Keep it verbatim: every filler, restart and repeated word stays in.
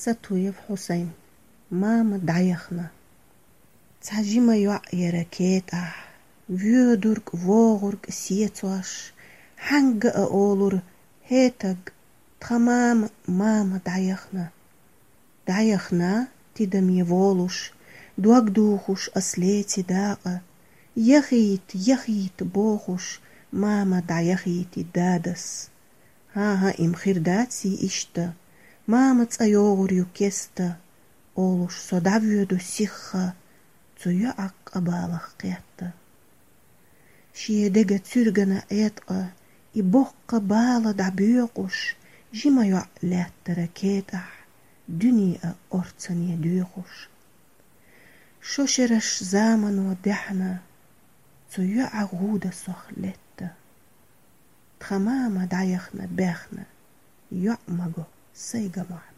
Сатуев Хьусайн. Мама дӀаяхна. Цхьа жима йоӀ яра кетӀахь, воьдург, вогӀург сецош, хьаьнга а олура: «ХӀетаг, тхан мама, мама дӀаяхна». ДӀаяхна, тидаме волуш, дог духуш ас леци дакъа. «Яхийта, яхийта», — бохуш, мама дӀаяхийти дадас. «ХӀан-хӀа, им хир даций иштта? Мама цӀа йогӀур ю кеста», — олуш, со дӀавоьду сихха, цу йоӀа къа балах кхетта. Шен дега цуьргана Ӏеткъа и боккха бала дӀабоькъуш, жима йоӀ лаьттара кетӀахь, дуьне а орцане доьхуш. Шо шераш замано даьхьна, цу йоӀа гӀуда сох летта. Тхан мама дӀаяхна баьхна, йоӀ ма го, сайга мохь